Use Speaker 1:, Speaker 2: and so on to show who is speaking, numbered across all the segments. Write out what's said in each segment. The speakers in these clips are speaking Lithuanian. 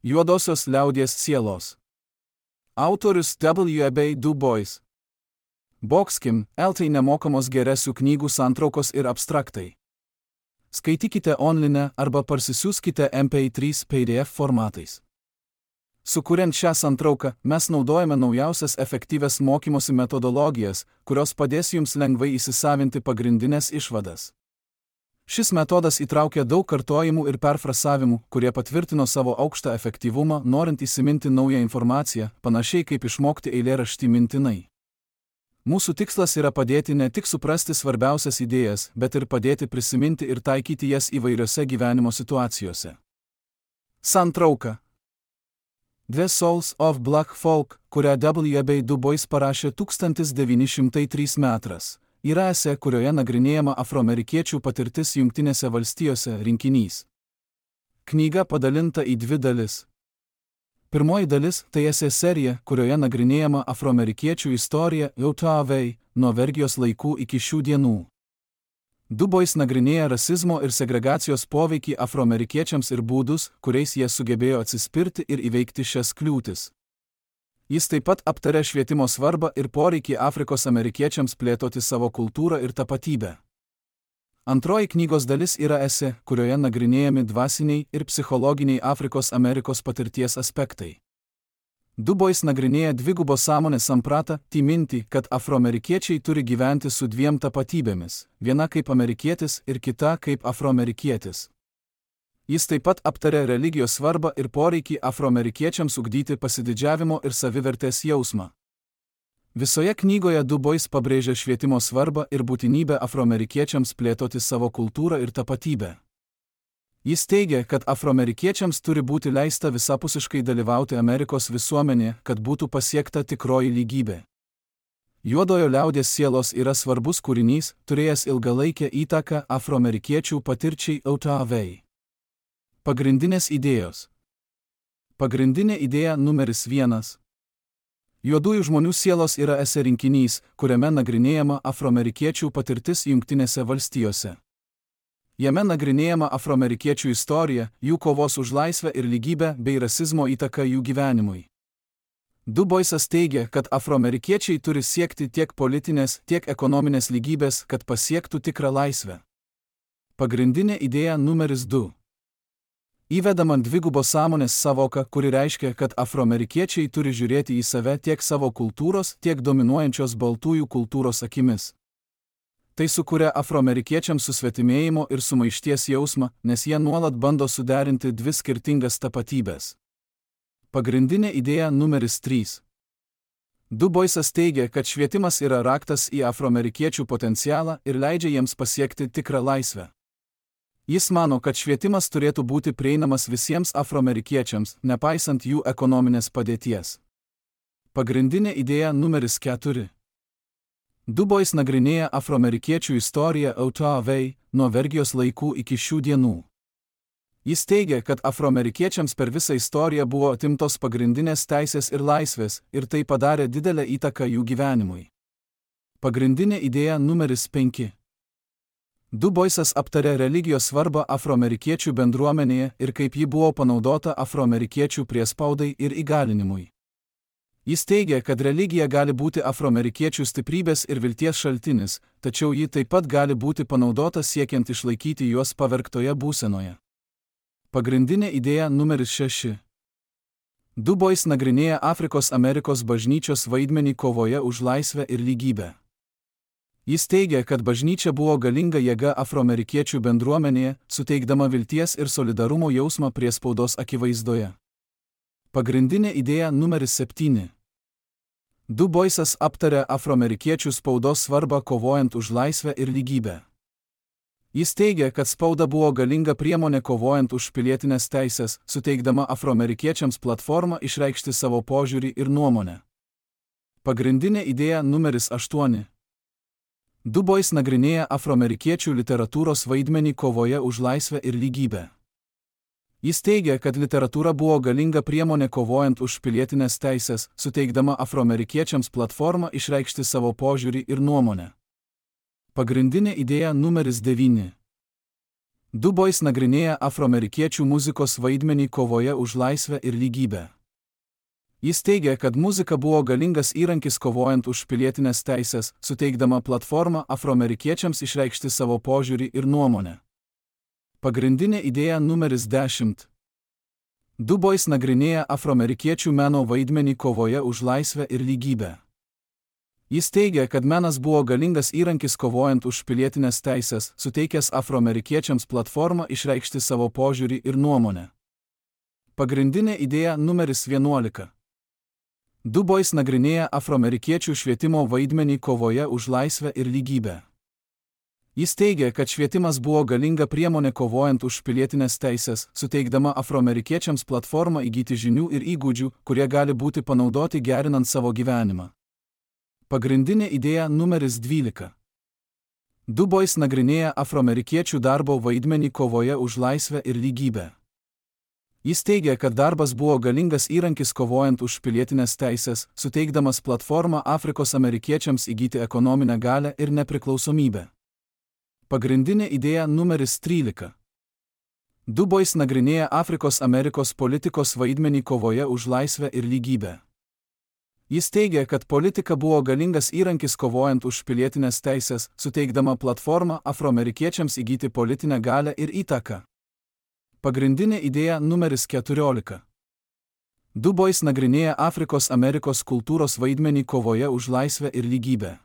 Speaker 1: Juodosios liaudies sielos. Autorius W.E.B. Du Bois. Boxkim, LT nemokamos geresių knygų santraukos ir abstraktai. Skaitykite online arba parsisiųskite MP3 PDF formatais. Sukuriant šią santrauką, mes naudojame naujausias efektyvias mokymosi metodologijas, kurios padės jums lengvai įsisavinti pagrindinės išvadas. Šis metodas įtraukia daug kartojimų ir perfrasavimų, kurie patvirtino savo aukštą efektyvumą, norint įsiminti naują informaciją, panašiai kaip išmokti eilėraštį mintinai. Mūsų tikslas yra padėti ne tik suprasti svarbiausias idėjas, bet ir padėti prisiminti ir taikyti jas įvairiose gyvenimo situacijose. Santrauka. The Souls of Black Folk, kurią W.E.B. Du Bois parašė 1903 metais, yra esė, kurioje nagrinėjama afroamerikiečių patirtis Jungtinėse valstijose rinkinys. Knyga padalinta į dvi dalis. Pirmoji dalis tai esė serija, kurioje nagrinėjama afroamerikiečių istorija Utah-Valley, nuo vergijos laikų iki šių dienų. Du Bois nagrinėja rasizmo ir segregacijos poveikį afroamerikiečiams ir būdus, kuriais jie sugebėjo atsispirti ir įveikti šias kliūtis. Jis taip pat aptarė švietimo svarbą ir poreikį Afrikos amerikiečiams plėtoti savo kultūrą ir tapatybę. Antroji knygos dalis yra esė, kurioje nagrinėjami dvasiniai ir psichologiniai Afrikos Amerikos patirties aspektai. Du Bois nagrinėja dvigubos sąmonės sampratą, mintį, kad afroamerikiečiai turi gyventi su dviem tapatybėmis, viena kaip amerikietis ir kita kaip afroamerikietis. Jis taip pat aptarė religijos svarbą ir poreikį afroamerikiečiams ugdyti pasididžiavimo ir savivertės jausmą. Visoje knygoje Du Bois pabrėžia švietimo svarbą ir būtinybę afroamerikiečiams plėtoti savo kultūrą ir tapatybę. Jis teigia, kad afroamerikiečiams turi būti leista visapusiškai dalyvauti Amerikos visuomenėje, kad būtų pasiekta tikroji lygybė. Juodojo liaudies sielos yra svarbus kūrinys, turėjęs ilgalaikę įtaką afroamerikiečių patirčiai Utah-Valley. Pagrindinės idėjos. Pagrindinė idėja numeris 1. Juodųjų žmonių sielos yra esė rinkinys, kuriame nagrinėjama afroamerikiečių patirtis Jungtinėse valstijose. Jame nagrinėjama afroamerikiečių istorija, jų kovos už laisvę ir lygybę bei rasizmo įtaka jų gyvenimui. Du Boisas teigia, kad afroamerikiečiai turi siekti tiek politinės, tiek ekonominės lygybės, kad pasiektų tikrą laisvę. Pagrindinė idėja numeris 2. Įvedama dvigubos sąmonės sąvoka, kuri reiškia, kad afroamerikiečiai turi žiūrėti į save tiek savo kultūros, tiek dominuojančios baltųjų kultūros akimis. Tai sukuria afroamerikiečiams susvetimėjimo ir sumaišties jausmą, nes jie nuolat bando suderinti dvi skirtingas tapatybės. Pagrindinė idėja numeris 3. Du Boisas teigia, kad švietimas yra raktas į afroamerikiečių potencialą ir leidžia jiems pasiekti tikrą laisvę. Jis mano, kad švietimas turėtų būti prieinamas visiems afroamerikiečiams, nepaisant jų ekonominės padėties. Pagrindinė idėja numeris 4. Du Bois nagrinėja afroamerikiečių istoriją Utah-Valley, nuo vergijos laikų iki šių dienų. Jis teigia, kad afroamerikiečiams per visą istoriją buvo atimtos pagrindinės teisės ir laisvės, ir tai padarė didelę įtaką jų gyvenimui. Pagrindinė idėja numeris 5. Du Boisas aptarė religijos svarbą afroamerikiečių bendruomenėje ir kaip ji buvo panaudota afroamerikiečių priespaudai ir įgalinimui. Jis teigia, kad religija gali būti afroamerikiečių stiprybės ir vilties šaltinis, tačiau ji taip pat gali būti panaudota siekiant išlaikyti juos pavergtoje būsenoje. Pagrindinė idėja numeris 6. Du Bois nagrinėja Afrikos Amerikos bažnyčios vaidmenį kovoje už laisvę ir lygybę. Jis teigia, kad bažnyčia buvo galinga jėga afroamerikiečių bendruomenėje, suteikdama vilties ir solidarumo jausmą priespaudos akivaizdoje. Pagrindinė idėja numeris 7. Du Boisas aptarė afroamerikiečių spaudos svarbą kovojant už laisvę ir lygybę. Jis teigia, kad spauda buvo galinga priemonė kovojant už pilietinės teisės, suteikdama afroamerikiečiams platformą išreikšti savo požiūrį ir nuomonę. Pagrindinė idėja numeris 8. Du Bois nagrinėja afroamerikiečių literatūros vaidmenį kovoje už laisvę ir lygybę. Jis teigia, kad literatūra buvo galinga priemonė kovojant už pilietinės teisės, suteikdama afroamerikiečiams platformą išreikšti savo požiūrį ir nuomonę. Pagrindinė idėja numeris 9. Du Bois nagrinėja afroamerikiečių muzikos vaidmenį kovoje už laisvę ir lygybę. Jis teigia, kad muzika buvo galingas įrankis kovojant už pilietinės teisės, suteikdama platformą afroamerikiečiams išreikšti savo požiūrį ir nuomonę. Pagrindinė idėja numeris 10. Du Bois nagrinėja afroamerikiečių meno vaidmenį kovoje už laisvę ir lygybę. Jis teigia, kad menas buvo galingas įrankis kovojant už pilietinės teisės, suteikęs afroamerikiečiams platformą išreikšti savo požiūrį ir nuomonę. Pagrindinė idėja numeris 11. Du Bois nagrinėja afroamerikiečių švietimo vaidmenį kovoje už laisvę ir lygybę. Jis teigia, kad švietimas buvo galinga priemonė kovojant už pilietinės teisės, suteikdama afroamerikiečiams platformą įgyti žinių ir įgūdžių, kurie gali būti panaudoti gerinant savo gyvenimą. Pagrindinė idėja numeris 12. Du Bois nagrinėja afroamerikiečių darbo vaidmenį kovoje už laisvę ir lygybę. Jis teigia, kad darbas buvo galingas įrankis kovojant už pilietinės teisės, suteikdamas platformą Afrikos amerikiečiams įgyti ekonominę galią ir nepriklausomybę. Pagrindinė idėja numeris 13. Du Bois nagrinėja Afrikos Amerikos politikos vaidmenį kovoje už laisvę ir lygybę. Jis teigia, kad politika buvo galingas įrankis kovojant už pilietinės teisės, suteikdama platformą afroamerikiečiams įgyti politinę galią ir įtaką. Pagrindinė idėja numeris 14. Du Bois nagrinėja Afrikos Amerikos kultūros vaidmenį kovoje už laisvę ir lygybę.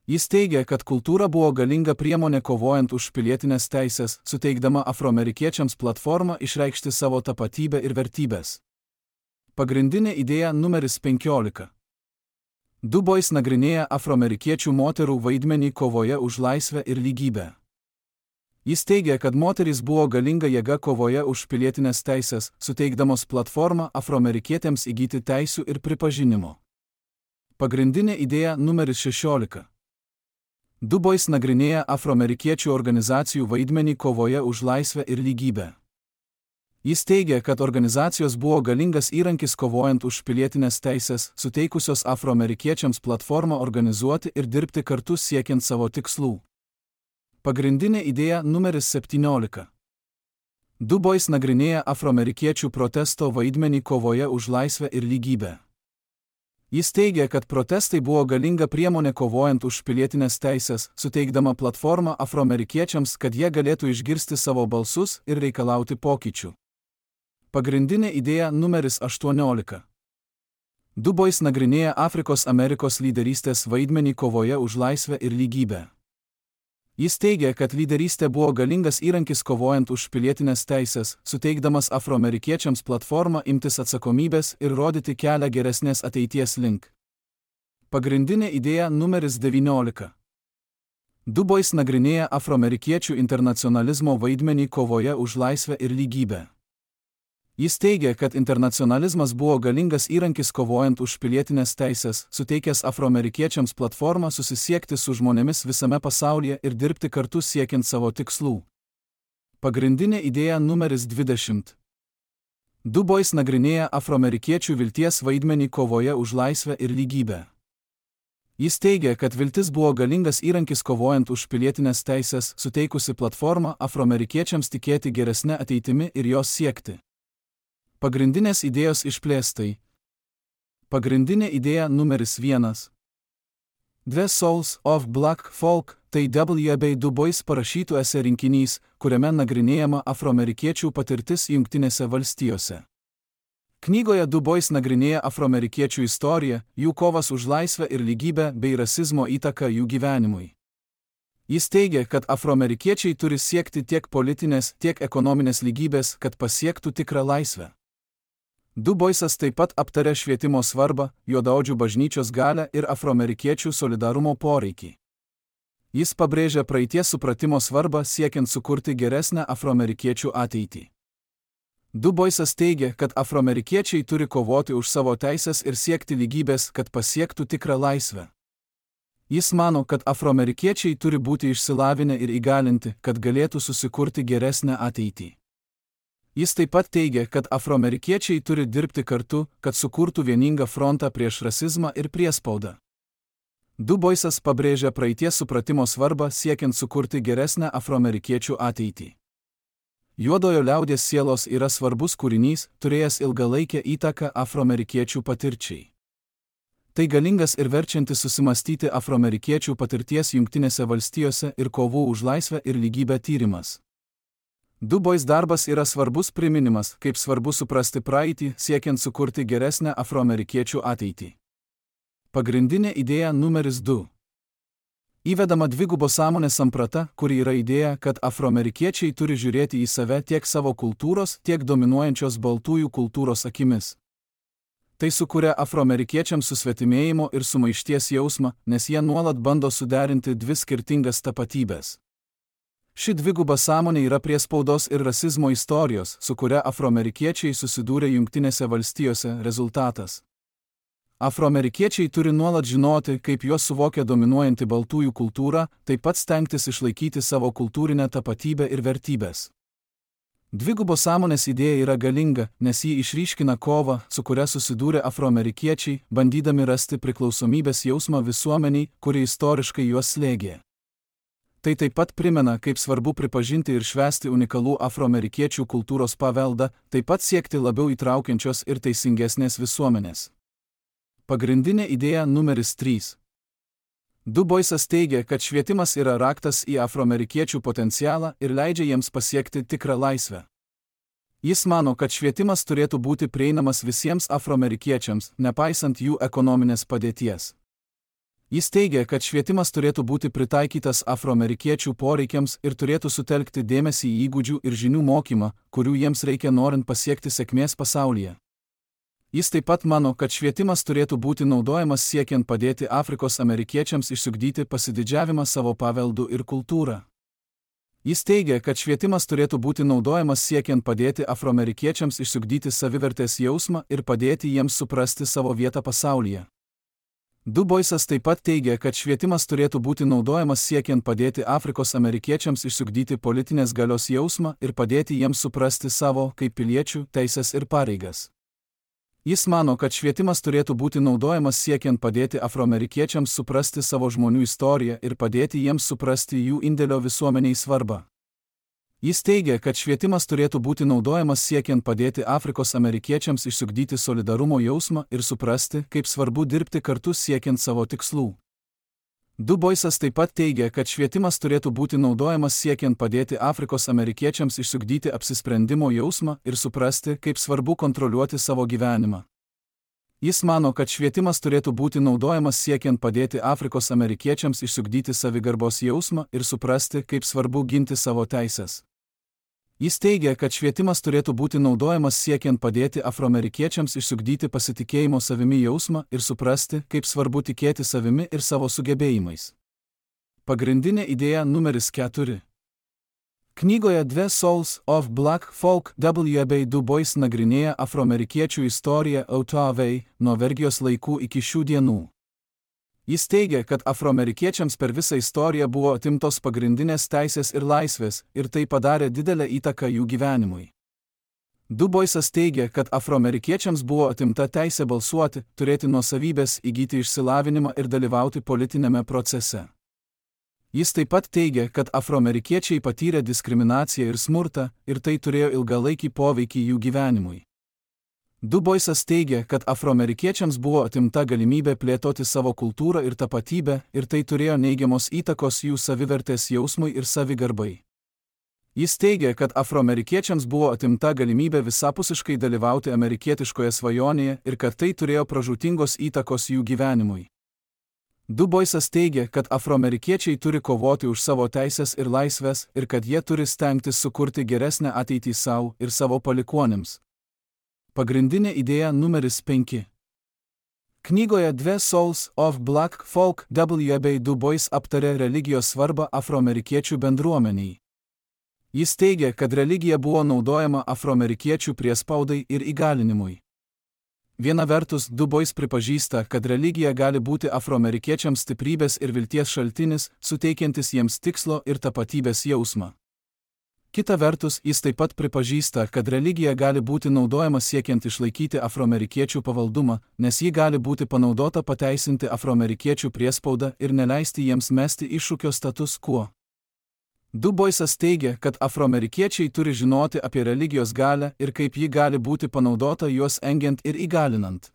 Speaker 1: Jis teigia, kad kultūra buvo galinga priemonė kovojant už pilietinės teisės, suteikdama afroamerikiečiams platformą išreikšti savo tapatybę ir vertybės. Pagrindinė idėja numeris 15. Du Bois nagrinėja afroamerikiečių moterų vaidmenį kovoje už laisvę ir lygybę. Jis teigia, kad moterys buvo galinga jėga kovoje už pilietinės teisės, suteikdamos platformą afroamerikietėms įgyti teisių ir pripažinimo. Pagrindinė idėja numeris 16. Du Bois nagrinėja afroamerikiečių organizacijų vaidmenį kovoje už laisvę ir lygybę. Jis teigia, kad organizacijos buvo galingas įrankis kovojant už pilietinės teisės, suteikusios afroamerikiečiams platformą organizuoti ir dirbti kartu siekiant savo tikslų. Pagrindinė idėja numeris 17. Du Bois nagrinėja afroamerikiečių protesto vaidmenį kovoje už laisvę ir lygybę. Jis teigia, kad protestai buvo galinga priemonė kovojant už pilietinės teisės, suteikdama platformą afroamerikiečiams, kad jie galėtų išgirsti savo balsus ir reikalauti pokyčių. Pagrindinė idėja numeris 18. Du Bois nagrinėja Afrikos Amerikos lyderystės vaidmenį kovoje už laisvę ir lygybę. Jis teigia, kad lyderystė buvo galingas įrankis kovojant už pilietinės teisės, suteikdamas afroamerikiečiams platformą imtis atsakomybės ir rodyti kelią geresnės ateities link. Pagrindinė idėja numeris 19. Du Bois nagrinėja afroamerikiečių internacionalizmo vaidmenį kovoje už laisvę ir lygybę. Jis teigia, kad internacionalizmas buvo galingas įrankis kovojant už pilietinės teisės, suteikęs afroamerikiečiams platformą susisiekti su žmonėmis visame pasaulyje ir dirbti kartu siekiant savo tikslų. Pagrindinė idėja numeris 20. Du Bois nagrinėja afroamerikiečių vilties vaidmenį kovoje už laisvę ir lygybę. Jis teigia, kad viltis buvo galingas įrankis kovojant už pilietinės teisės, suteikusi platformą afroamerikiečiams tikėti geresnę ateitimi ir jos siekti. Pagrindinės idėjos išplėstai. Pagrindinė idėja numeris 1. The Souls of Black Folk, tai W.B. Du Bois parašytų esė rinkinys, kuriame nagrinėjama afroamerikiečių patirtis Jungtinėse valstijose. Knygoje Du Bois nagrinėja afroamerikiečių istoriją, jų kovas už laisvę ir lygybę bei rasizmo įtaką jų gyvenimui. Jis teigia, kad afroamerikiečiai turi siekti tiek politinės, tiek ekonominės lygybės, kad pasiektų tikrą laisvę. Du Boisas taip pat aptarė švietimo svarbą, juodaodžių bažnyčios galią ir afroamerikiečių solidarumo poreikį. Jis pabrėžia praeities supratimo svarbą siekiant sukurti geresnę afroamerikiečių ateitį. Du Boisas teigia, kad afroamerikiečiai turi kovoti už savo teisės ir siekti lygybės, kad pasiektų tikrą laisvę. Jis mano, kad afroamerikiečiai turi būti išsilavinę ir įgalinti, kad galėtų susikurti geresnę ateitį. Jis taip pat teigia, kad afroamerikiečiai turi dirbti kartu, kad sukurtų vieningą frontą prieš rasizmą ir priespaudą. Du Boisas pabrėžia praeities supratimo svarbą siekiant sukurti geresnę afroamerikiečių ateitį. Juodojo liaudies sielos yra svarbus kūrinys, turėjęs ilgalaikę įtaką afroamerikiečių patirčiai. Tai galingas ir verčiantis susimastyti afroamerikiečių patirties Jungtinėse valstijose ir kovų už laisvę ir lygybę tyrimas. Du Bois darbas yra svarbus priminimas, kaip svarbu suprasti praeitį, siekiant sukurti geresnę afroamerikiečių ateitį. Pagrindinė idėja numeris 2. Įvedama dvigubos sąmonės samprata, kuri yra idėja, kad afroamerikiečiai turi žiūrėti į save tiek savo kultūros, tiek dominuojančios baltųjų kultūros akimis. Tai sukuria afroamerikiečiams susvetimėjimo ir sumaišties jausmą, nes jie nuolat bando suderinti dvi skirtingas tapatybės. Ši dviguba sąmonė yra priespaudos ir rasizmo istorijos, su kuria afroamerikiečiai susidūrė Jungtinėse valstijose rezultatas. Afroamerikiečiai turi nuolat žinoti, kaip juos suvokia dominuojanti baltųjų kultūra, taip pat stengtis išlaikyti savo kultūrinę tapatybę ir vertybės. Dvigubos sąmonės idėja yra galinga, nes ji išryškina kovą, su kuria susidūrė afroamerikiečiai, bandydami rasti priklausomybės jausmą visuomeniai, kuri istoriškai juos slėgė. Tai taip pat primena, kaip svarbu pripažinti ir švęsti unikalų afroamerikiečių kultūros paveldą, taip pat siekti labiau įtraukiančios ir teisingesnės visuomenės. Pagrindinė idėja numeris 3. Du Boisas teigia, kad švietimas yra raktas į afroamerikiečių potencialą ir leidžia jiems pasiekti tikrą laisvę. Jis mano, kad švietimas turėtų būti prieinamas visiems afroamerikiečiams, nepaisant jų ekonominės padėties. Jis teigia, kad švietimas turėtų būti pritaikytas afroamerikiečių poreikiams ir turėtų sutelkti dėmesį į įgūdžių ir žinių mokymą, kurių jiems reikia norint pasiekti sėkmės pasaulyje. Jis taip pat mano, kad švietimas turėtų būti naudojamas siekiant padėti Afrikos amerikiečiams išsiugdyti pasididžiavimą savo paveldu ir kultūrą. Jis teigia, kad švietimas turėtų būti naudojamas siekiant padėti afroamerikiečiams išsiugdyti savivertės jausmą ir padėti jiems suprasti savo vietą pasaulyje. Du Boisas taip pat teigia, kad švietimas turėtų būti naudojamas siekiant padėti Afrikos amerikiečiams išsiugdyti politinės galios jausmą ir padėti jiems suprasti savo, kaip piliečių, teisės ir pareigas. Jis mano, kad švietimas turėtų būti naudojamas siekiant padėti afroamerikiečiams suprasti savo žmonių istoriją ir padėti jiems suprasti jų indėlio visuomeniai svarbą. Jis teigia, kad švietimas turėtų būti naudojamas siekiant padėti Afrikos amerikiečiams išsiugdyti solidarumo jausmą ir suprasti, kaip svarbu dirbti kartu siekiant savo tikslų. Du Boisas taip pat teigia, kad švietimas turėtų būti naudojamas siekiant padėti Afrikos amerikiečiams išsiugdyti apsisprendimo jausmą ir suprasti, kaip svarbu kontroliuoti savo gyvenimą. Jis mano, kad švietimas turėtų būti naudojamas siekiant padėti Afrikos amerikiečiams išsiugdyti savigarbos jausmą ir suprasti, kaip svarbu ginti savo teisės. Jis teigia, kad švietimas turėtų būti naudojamas siekiant padėti afroamerikiečiams išsiugdyti pasitikėjimo savimi jausmą ir suprasti, kaip svarbu tikėti savimi ir savo sugebėjimais. Pagrindinė idėja numeris 4. Knygoje The Souls of Black Folk W.B. Du Bois nagrinėja afroamerikiečių istoriją Ottaway nuo vergijos laikų iki šių dienų. Jis teigia, kad afroamerikiečiams per visą istoriją buvo atimtos pagrindinės teisės ir laisvės, ir tai padarė didelę įtaką jų gyvenimui. Du Boisas teigia, kad afroamerikiečiams buvo atimta teisė balsuoti, turėti nuosavybės, įgyti išsilavinimą ir dalyvauti politinėme procese. Jis taip pat teigia, kad afroamerikiečiai patyrė diskriminaciją ir smurtą, ir tai turėjo ilgalaikį poveikį jų gyvenimui. Du Boisas teigia, kad afroamerikiečiams buvo atimta galimybė plėtoti savo kultūrą ir tapatybę, ir tai turėjo neigiamos įtakos jų savivertės jausmui ir savigarbai. Jis teigia, kad afroamerikiečiams buvo atimta galimybė visapusiškai dalyvauti amerikietiškoje svajonėje ir kad tai turėjo pražūtingos įtakos jų gyvenimui. Du Boisas teigia, kad afroamerikiečiai turi kovoti už savo teisės ir laisvės ir kad jie turi stengtis sukurti geresnę ateitį savo ir savo palikuonims. Pagrindinė idėja numeris 5. Knygoje The Souls of Black Folk W.B. Du Bois aptarė religijos svarbą afroamerikiečių bendruomeniai. Jis teigia, kad religija buvo naudojama afroamerikiečių priespaudai ir įgalinimui. Viena vertus, Du Bois pripažįsta, kad religija gali būti afroamerikiečiams stiprybės ir vilties šaltinis, suteikiantis jiems tikslo ir tapatybės jausmą. Kita vertus, jis taip pat pripažįsta, kad religija gali būti naudojama siekiant išlaikyti afroamerikiečių pavaldumą, nes ji gali būti panaudota pateisinti afroamerikiečių priespaudą ir neleisti jiems mesti iššūkio status quo. Du Boisas teigia, kad afroamerikiečiai turi žinoti apie religijos galią ir kaip ji gali būti panaudota juos engiant ir įgalinant.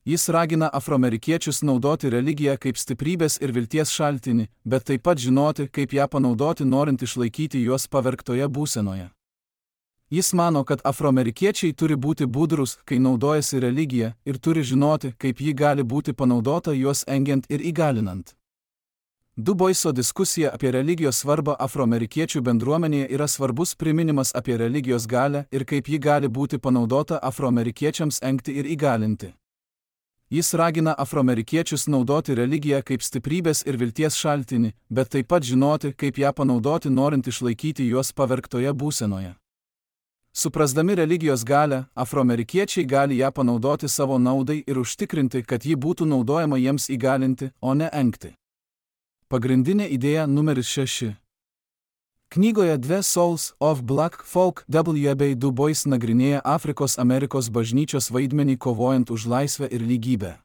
Speaker 1: Jis ragina afroamerikiečius naudoti religiją kaip stiprybės ir vilties šaltinį, bet taip pat žinoti, kaip ją panaudoti, norint išlaikyti juos pavergtoje būsenoje. Jis mano, kad afroamerikiečiai turi būti budrus, kai naudojasi religija, ir turi žinoti, kaip ji gali būti panaudota juos engiant ir įgalinant. Du Boiso diskusija apie religijos svarbą afroamerikiečių bendruomenėje yra svarbus priminimas apie religijos galią ir kaip ji gali būti panaudota afroamerikiečiams engti ir įgalinti. Jis ragina afroamerikiečius naudoti religiją kaip stiprybės ir vilties šaltinį, bet taip pat žinoti, kaip ją panaudoti, norint išlaikyti juos pavergtoje būsenoje. Suprasdami religijos galią, afroamerikiečiai gali ją panaudoti savo naudai ir užtikrinti, kad ji būtų naudojama jiems įgalinti, o ne engti. Pagrindinė idėja numeris 6. Knygoje The Souls of Black Folk W.B. Du Bois nagrinėja Afrikos Amerikos bažnyčios vaidmenį kovojant už laisvę ir lygybę.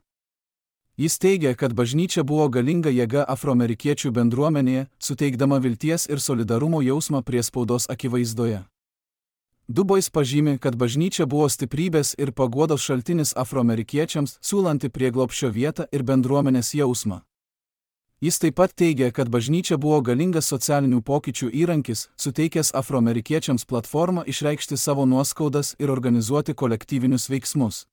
Speaker 1: Jis teigia, kad bažnyčia buvo galinga jėga afroamerikiečių bendruomenėje, suteikdama vilties ir solidarumo jausmą priespaudos akivaizdoje. Du Bois pažymi, kad bažnyčia buvo stiprybės ir paguodos šaltinis afroamerikiečiams, siūlanti prieglobsčio vietą ir bendruomenės jausmą. Jis taip pat teigia, kad bažnyčia buvo galingas socialinių pokyčių įrankis, suteikęs afroamerikiečiams platformą išreikšti savo nuoskaudas ir organizuoti kolektyvinius veiksmus.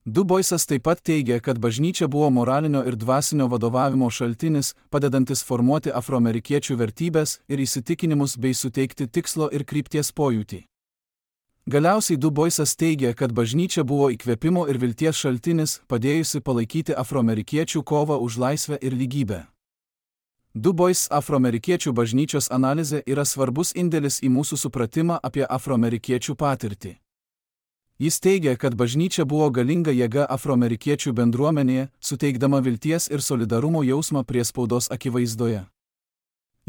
Speaker 1: Du Boisas taip pat teigia, kad bažnyčia buvo moralinio ir dvasinio vadovavimo šaltinis, padedantis formuoti afroamerikiečių vertybės ir įsitikinimus bei suteikti tikslo ir krypties pojūtį. Galiausiai Du Boisas teigia, kad bažnyčia buvo įkvėpimo ir vilties šaltinis, padėjusi palaikyti afroamerikiečių kovą už laisvę ir lygybę. Du Bois afroamerikiečių bažnyčios analizė yra svarbus indėlis į mūsų supratimą apie afroamerikiečių patirtį. Jis teigia, kad bažnyčia buvo galinga jėga afroamerikiečių bendruomenėje, suteikdama vilties ir solidarumo jausmą priespaudos akivaizdoje.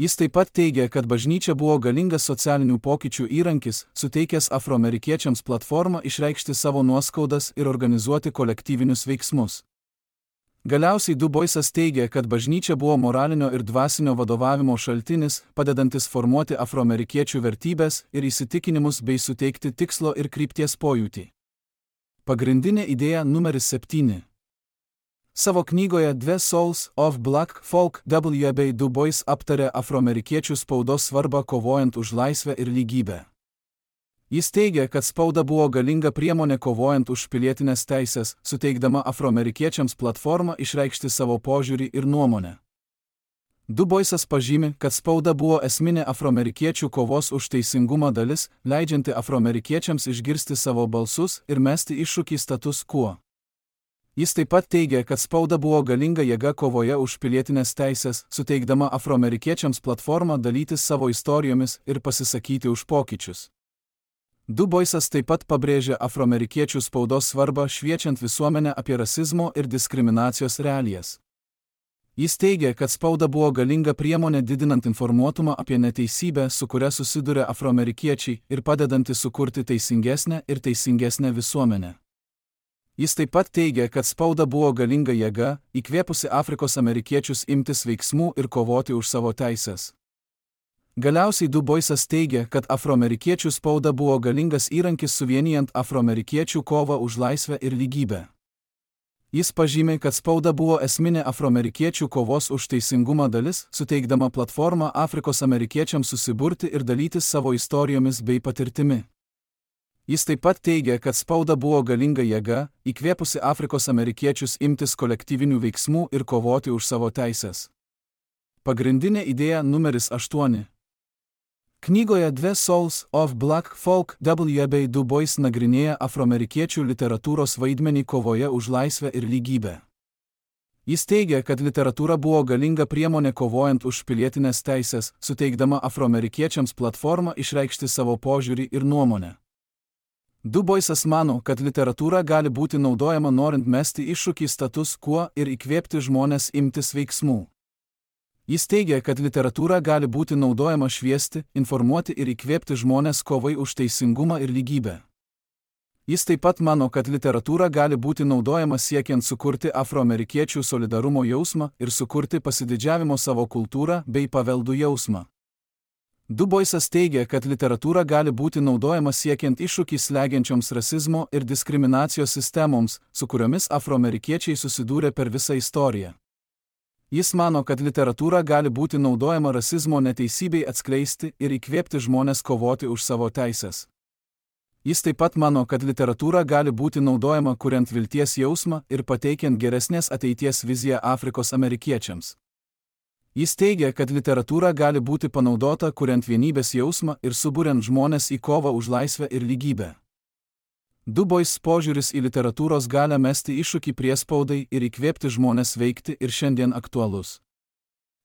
Speaker 1: Jis taip pat teigia, kad bažnyčia buvo galingas socialinių pokyčių įrankis, suteikęs afroamerikiečiams platformą išreikšti savo nuoskaudas ir organizuoti kolektyvinius veiksmus. Galiausiai Du Boisas teigia, kad bažnyčia buvo moralinio ir dvasinio vadovavimo šaltinis, padedantis formuoti afroamerikiečių vertybės ir įsitikinimus bei suteikti tikslo ir krypties pojūtį. Pagrindinė idėja numeris 7. Savo knygoje The Souls of Black Folk W.B. Du Bois aptarė afroamerikiečių spaudos svarbą kovojant už laisvę ir lygybę. Jis teigia, kad spauda buvo galinga priemonė kovojant už pilietinės teisės, suteikdama afroamerikiečiams platformą išreikšti savo požiūrį ir nuomonę. Du Boisas pažymi, kad spauda buvo esminė afroamerikiečių kovos už teisingumą dalis, leidžianti afroamerikiečiams išgirsti savo balsus ir mesti iššūkį status quo. Jis taip pat teigia, kad spauda buvo galinga jėga kovoje už pilietinės teisės, suteikdama afroamerikiečiams platformą dalytis savo istorijomis ir pasisakyti už pokyčius. Du Boisas taip pat pabrėžia afroamerikiečių spaudos svarbą šviečiant visuomenę apie rasizmo ir diskriminacijos realijas. Jis teigia, kad spauda buvo galinga priemonė didinant informuotumą apie neteisybę, su kuria susiduria afroamerikiečiai, ir padedanti sukurti teisingesnę ir teisingesnę visuomenę. Jis taip pat teigia, kad spauda buvo galinga jėga, įkvėpusi Afrikos amerikiečius imtis veiksmų ir kovoti už savo teisės. Galiausiai Du Boisas teigia, kad afroamerikiečių spauda buvo galingas įrankis suvienijant afroamerikiečių kovą už laisvę ir lygybę. Jis pažymi, kad spauda buvo esminė afroamerikiečių kovos už teisingumą dalis, suteikdama platformą Afrikos amerikiečiams susiburti ir dalytis savo istorijomis bei patirtimi. Jis taip pat teigia, kad spauda buvo galinga jėga, įkvėpusi Afrikos amerikiečius imtis kolektyvinių veiksmų ir kovoti už savo teisės. Pagrindinė idėja numeris 8. Knygoje The Souls of Black Folk W.B. Du Bois nagrinėja afroamerikiečių literatūros vaidmenį kovoje už laisvę ir lygybę. Jis teigia, kad literatūra buvo galinga priemonė kovojant už pilietinės teisės, suteikdama afroamerikiečiams platformą išreikšti savo požiūrį ir nuomonę. Du Boisas mano, kad literatūra gali būti naudojama norint mesti iššūkį status quo ir įkvėpti žmones imtis veiksmų. Jis teigia, kad literatūra gali būti naudojama šviesti, informuoti ir įkvėpti žmones kovai už teisingumą ir lygybę. Jis taip pat mano, kad literatūra gali būti naudojama siekiant sukurti afroamerikiečių solidarumo jausmą ir sukurti pasididžiavimo savo kultūrą bei paveldų jausmą. Du Boisas teigia, kad literatūra gali būti naudojama siekiant iššūkį slegiančioms rasizmo ir diskriminacijos sistemoms, su kuriomis afroamerikiečiai susidūrė per visą istoriją. Jis mano, kad literatūra gali būti naudojama rasizmo neteisybei atskleisti ir įkvėpti žmones kovoti už savo teisės. Jis taip pat mano, kad literatūra gali būti naudojama kuriant vilties jausmą ir pateikiant geresnės ateities viziją Afrikos amerikiečiams. Jis teigia, kad literatūra gali būti panaudota kuriant vienybės jausmą ir suburiant žmones į kovą už laisvę ir lygybę. Du Bois požiūris į literatūros galią mesti iššūkį priespaudai ir įkvėpti žmones veikti ir šiandien aktualus.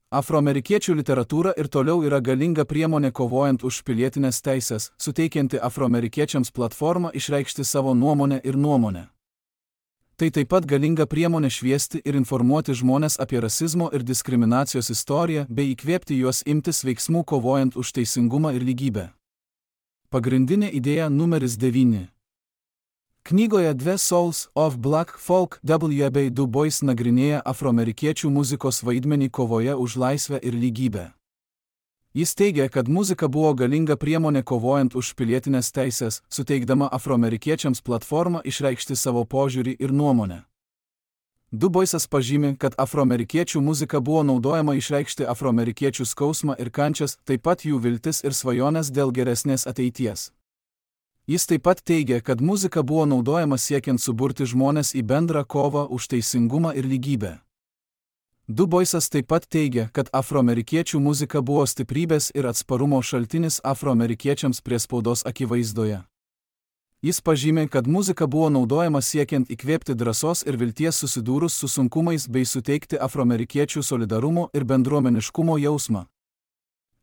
Speaker 1: Afroamerikiečių literatūra ir toliau yra galinga priemonė kovojant už pilietinės teisės, suteikianti afroamerikiečiams platformą išreikšti savo nuomonę ir nuomonę. Tai taip pat galinga priemonė šviesti ir informuoti žmones apie rasizmo ir diskriminacijos istoriją bei įkvėpti juos imtis veiksmų kovojant už teisingumą ir lygybę. Pagrindinė idėja numeris 9. Knygoje The Souls of Black Folk W.B. Du Bois nagrinėja afroamerikiečių muzikos vaidmenį kovoje už laisvę ir lygybę. Jis teigia, kad muzika buvo galinga priemonė kovojant už pilietinės teisės, suteikdama afroamerikiečiams platformą išreikšti savo požiūrį ir nuomonę. Du Boisas pažymi, kad afroamerikiečių muzika buvo naudojama išreikšti afroamerikiečių skausmą ir kančias, taip pat jų viltis ir svajonės dėl geresnės ateities. Jis taip pat teigia, kad muzika buvo naudojama siekiant suburti žmones į bendrą kovą už teisingumą ir lygybę. Du Boisas taip pat teigia, kad afroamerikiečių muzika buvo stiprybės ir atsparumo šaltinis afroamerikiečiams priespaudos akivaizdoje. Jis pažymė, kad muzika buvo naudojama siekiant įkvėpti drąsos ir vilties susidūrus su sunkumais bei suteikti afroamerikiečių solidarumo ir bendruomeniškumo jausmą.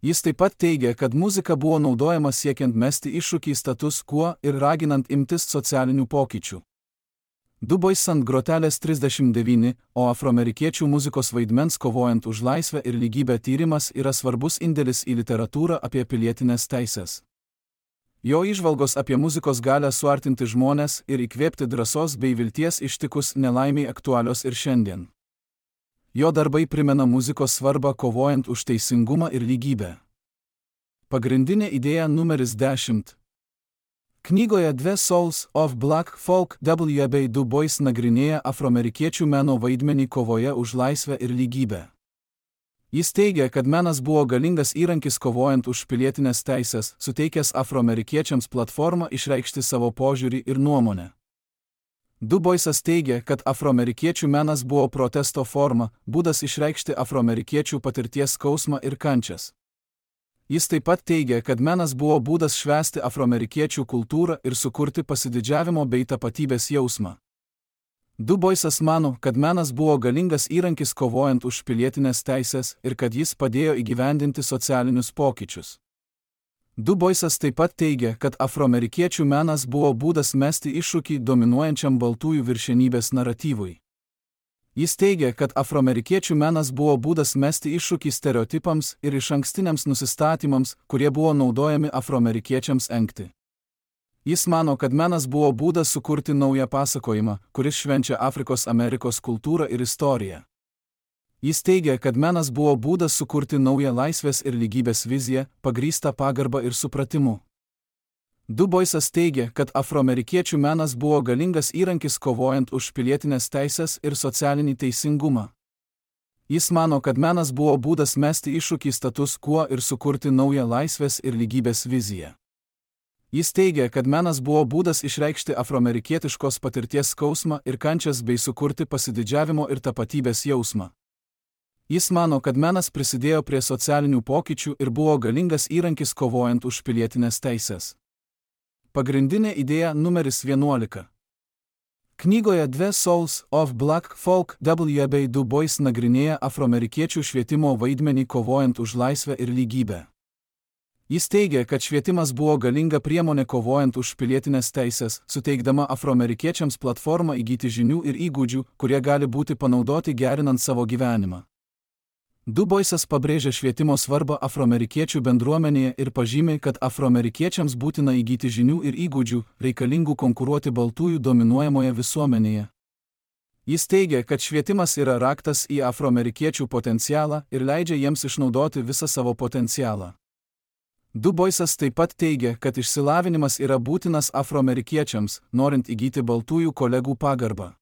Speaker 1: Jis taip pat teigia, kad muzika buvo naudojama siekiant mesti iššūkį status quo ir raginant imtis socialinių pokyčių. Du Bois ant grotelės 39, o afroamerikiečių muzikos vaidmens kovojant už laisvę ir lygybę tyrimas yra svarbus indėlis į literatūrą apie pilietinės teisės. Jo įžvalgos apie muzikos galią suartinti žmones ir įkvėpti drąsos bei vilties ištikus nelaimiai aktualios ir šiandien. Jo darbai primena muzikos svarbą kovojant už teisingumą ir lygybę. Pagrindinė idėja numeris 10. Knygoje The Souls of Black Folk W.B. Du Bois nagrinėja afroamerikiečių meno vaidmenį kovoje už laisvę ir lygybę. Jis teigia, kad menas buvo galingas įrankis kovojant už pilietinės teisės, suteikęs afroamerikiečiams platformą išreikšti savo požiūrį ir nuomonę. Du Boisas teigia, kad afroamerikiečių menas buvo protesto forma, būdas išreikšti afroamerikiečių patirties skausmą ir kančias. Jis taip pat teigia, kad menas buvo būdas švęsti afroamerikiečių kultūrą ir sukurti pasididžiavimo bei tapatybės jausmą. Du Boisas mano, kad menas buvo galingas įrankis kovojant už pilietinės teisės ir kad jis padėjo įgyvendinti socialinius pokyčius. Du Boisas taip pat teigia, kad afroamerikiečių menas buvo būdas mesti iššūkį dominuojančiam baltųjų viršenybės naratyvui. Jis teigia, kad afroamerikiečių menas buvo būdas mesti iššūkį stereotipams ir išankstiniams nusistatymams, kurie buvo naudojami afroamerikiečiams engti. Jis mano, kad menas buvo būdas sukurti naują pasakojimą, kuris švenčia Afrikos Amerikos kultūrą ir istoriją. Jis teigia, kad menas buvo būdas sukurti naują laisvės ir lygybės viziją, pagrįstą pagarbą ir supratimu. Du Boisas teigia, kad afroamerikiečių menas buvo galingas įrankis kovojant už pilietinės teisės ir socialinį teisingumą. Jis mano, kad menas buvo būdas mesti iššūkį status quo ir sukurti naują laisvės ir lygybės viziją. Jis teigia, kad menas buvo būdas išreikšti afroamerikietiškos patirties skausmą ir kančias bei sukurti pasididžiavimo ir tapatybės jausmą. Jis mano, kad menas prisidėjo prie socialinių pokyčių ir buvo galingas įrankis kovojant už pilietinės teisės. Pagrindinė idėja numeris 11. Knygoje The Souls of Black Folk W.B. Du Bois nagrinėja afroamerikiečių švietimo vaidmenį kovojant už laisvę ir lygybę. Jis teigia, kad švietimas buvo galinga priemonė kovojant už pilietinės teisės, suteikdama afroamerikiečiams platformą įgyti žinių ir įgūdžių, kurie gali būti panaudoti gerinant savo gyvenimą. Du Boisas pabrėžia švietimo svarbą afroamerikiečių bendruomenėje ir pažymi, kad afroamerikiečiams būtina įgyti žinių ir įgūdžių, reikalingų konkuruoti baltųjų dominuojamoje visuomenėje. Jis teigia, kad švietimas yra raktas į afroamerikiečių potencialą ir leidžia jiems išnaudoti visą savo potencialą. Du Boisas taip pat teigia, kad išsilavinimas yra būtinas afroamerikiečiams, norint įgyti baltųjų kolegų pagarbą.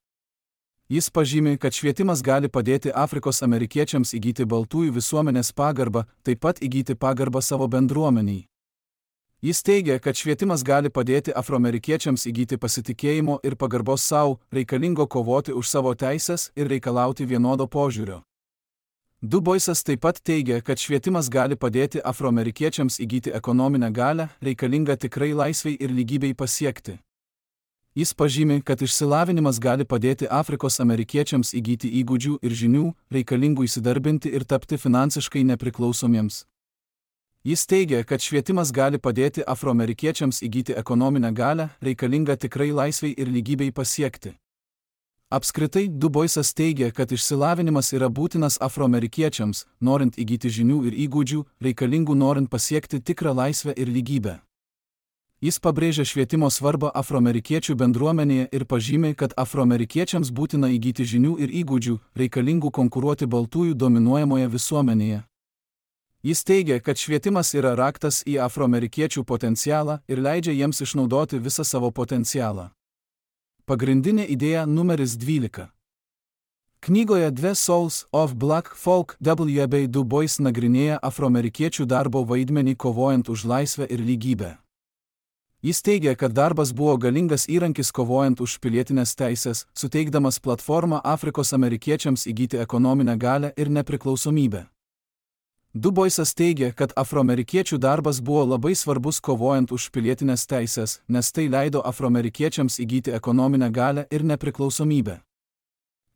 Speaker 1: Jis pažymi, kad švietimas gali padėti Afrikos amerikiečiams įgyti baltųjų visuomenės pagarbą, taip pat įgyti pagarbą savo bendruomeniai. Jis teigia, kad švietimas gali padėti afroamerikiečiams įgyti pasitikėjimo ir pagarbos savo, reikalingo kovoti už savo teises ir reikalauti vienodo požiūrio. Du Boisas taip pat teigia, kad švietimas gali padėti afroamerikiečiams įgyti ekonominę galią, reikalingą tikrai laisvei ir lygybei pasiekti. Jis pažymi, kad išsilavinimas gali padėti Afrikos amerikiečiams įgyti įgūdžių ir žinių, reikalingų įsidarbinti ir tapti finansiškai nepriklausomiems. Jis teigia, kad švietimas gali padėti afroamerikiečiams įgyti ekonominę galią, reikalingą tikrai laisvei ir lygybei pasiekti. Apskritai, Du Boisas teigia, kad išsilavinimas yra būtinas afroamerikiečiams, norint įgyti žinių ir įgūdžių, reikalingų norint pasiekti tikrą laisvę ir lygybę. Jis pabrėžia švietimo svarbą afroamerikiečių bendruomenėje ir pažymi, kad afroamerikiečiams būtina įgyti žinių ir įgūdžių, reikalingų konkuruoti baltųjų dominuojamoje visuomenėje. Jis teigia, kad švietimas yra raktas į afroamerikiečių potencialą ir leidžia jiems išnaudoti visą savo potencialą. Pagrindinė idėja numeris 12. Knygoje The Souls of Black Folk W.B. Du Bois nagrinėja afroamerikiečių darbo vaidmenį kovojant už laisvę ir lygybę. Jis teigia, kad darbas buvo galingas įrankis kovojant už pilietinės teisės, suteikdamas platformą Afrikos amerikiečiams įgyti ekonominę galią ir nepriklausomybę. Du Boisas teigia, kad afroamerikiečių darbas buvo labai svarbus kovojant už pilietinės teisės, nes tai leido afroamerikiečiams įgyti ekonominę galią ir nepriklausomybę.